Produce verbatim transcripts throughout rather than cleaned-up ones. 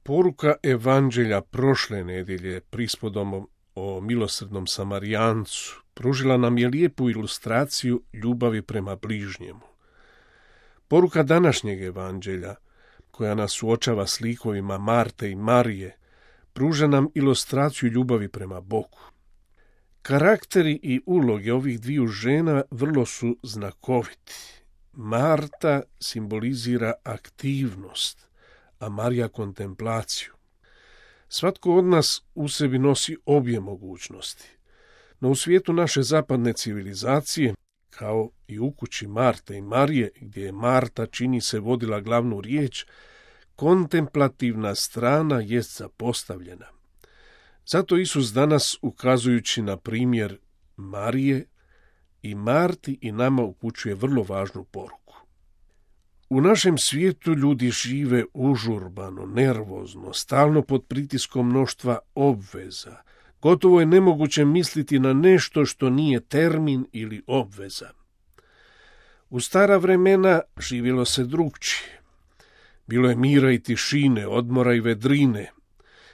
Poruka evanđelja prošle nedjelje prispodom o milosrdnom Samarijancu pružila nam je lijepu ilustraciju ljubavi prema bližnjemu. Poruka današnjeg evanđelja, koja nas suočava s likovima Marte i Marije, pruža nam ilustraciju ljubavi prema Bogu. Karakteri i uloge ovih dviju žena vrlo su znakoviti. Marta simbolizira aktivnost, a Marija kontemplaciju. Svatko od nas u sebi nosi obje mogućnosti. No u svijetu naše zapadne civilizacije, kao i u kući Marte i Marije, gdje je Marta čini se vodila glavnu riječ, kontemplativna strana jest zapostavljena. Zato Isus danas, ukazujući na primjer Marije i Marti, i nama upućuje vrlo važnu poruku. U našem svijetu ljudi žive užurbano, nervozno, stalno pod pritiskom mnoštva obveza. Gotovo je nemoguće misliti na nešto što nije termin ili obveza. U stara vremena živjelo se drugčije. Bilo je mira i tišine, odmora i vedrine.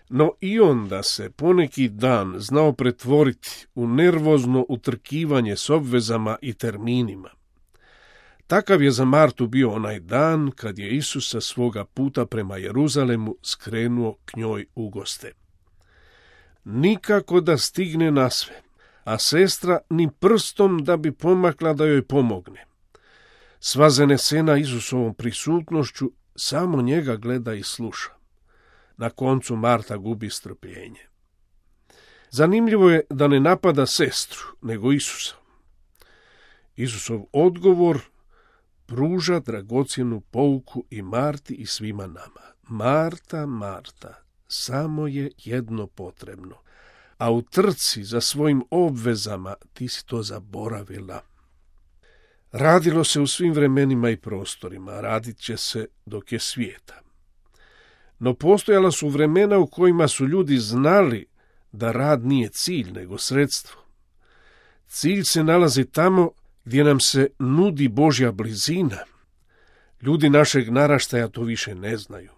No i onda se poneki dan znao pretvoriti u nervozno utrkivanje s obvezama i terminima. Takav je za Martu bio onaj dan kad je Isus sa svoga puta prema Jeruzalemu skrenuo k njoj u goste. Nikako da stigne na sve, a sestra ni prstom da bi pomakla da joj pomogne. Sva zanesena Isusovom prisutnošću, samo njega gleda i sluša. Na koncu Marta gubi strpljenje. Zanimljivo je da ne napada sestru, nego Isusa. Isusov odgovor pruža dragocjenu pouku i Marti i svima nama. Marta, Marta, samo je jedno potrebno, a u trci za svojim obvezama ti si to zaboravila. Radilo se u svim vremenima i prostorima, radit će se dok je svijeta. No postojala su vremena u kojima su ljudi znali da rad nije cilj, nego sredstvo. Cilj se nalazi tamo gdje nam se nudi Božja blizina. Ljudi našeg naraštaja to više ne znaju.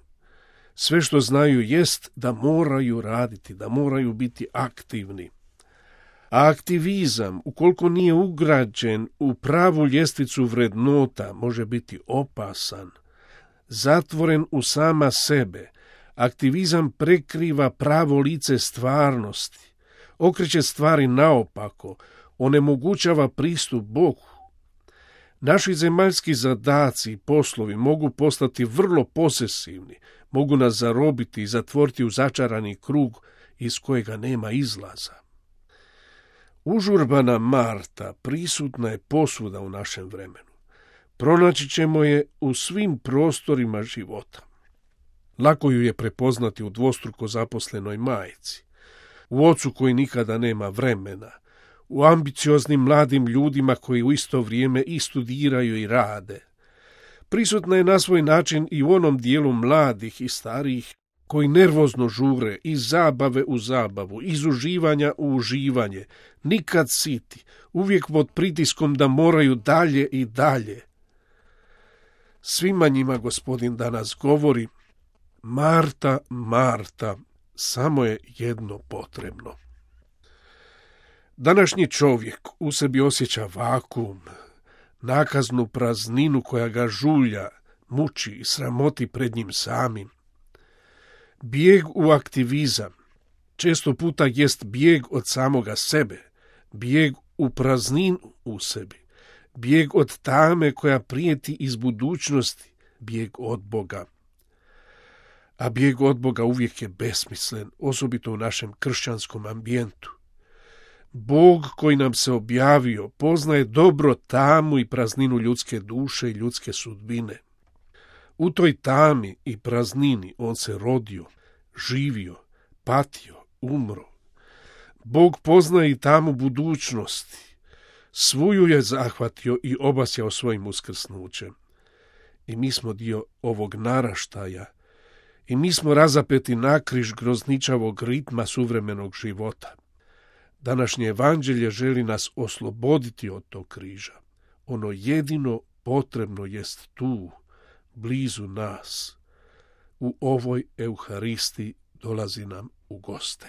Sve što znaju jest da moraju raditi, da moraju biti aktivni. A aktivizam, ukoliko nije ugrađen u pravu ljestvicu vrednota, može biti opasan. Zatvoren u sama sebe, aktivizam prekriva pravo lice stvarnosti, okreće stvari naopako, onemogućava pristup Bogu. Naši zemaljski zadaci i poslovi mogu postati vrlo posesivni, mogu nas zarobiti i zatvoriti u začarani krug iz kojega nema izlaza. Užurbana Marta prisutna je posvuda u našem vremenu. Pronaći ćemo je u svim prostorima života. Lako ju je prepoznati u dvostruko zaposlenoj majci, u ocu koji nikada nema vremena, u ambicioznim mladim ljudima koji u isto vrijeme i studiraju i rade. Prisutna je na svoj način i u onom dijelu mladih i starijih koji nervozno žure iz zabave u zabavu, iz uživanja u uživanje, nikad siti, uvijek pod pritiskom da moraju dalje i dalje. Svima njima Gospodin danas govori: Marta, Marta, samo je jedno potrebno. Današnji čovjek u sebi osjeća vakuum, nakaznu prazninu koja ga žulja, muči i sramoti pred njim samim. Bijeg u aktivizam često puta jest bijeg od samoga sebe, bijeg u prazninu u sebi, bijeg od tame koja prijeti iz budućnosti, bijeg od Boga. A bijeg od Boga uvijek je besmislen, osobito u našem kršćanskom ambijentu. Bog koji nam se objavio poznaje dobro tamu i prazninu ljudske duše i ljudske sudbine. U toj tami i praznini on se rodio, živio, patio, umro. Bog poznaje i tamu budućnosti. Svuju je zahvatio i obasjao svojim uskrsnućem. I mi smo dio ovog naraštaja, i mi smo razapeti nakriž grozničavog ritma suvremenog života. Današnje evanđelje želi nas osloboditi od tog križa. Ono jedino potrebno jest tu, blizu nas. u ovoj Euharistiji dolazi nam u goste.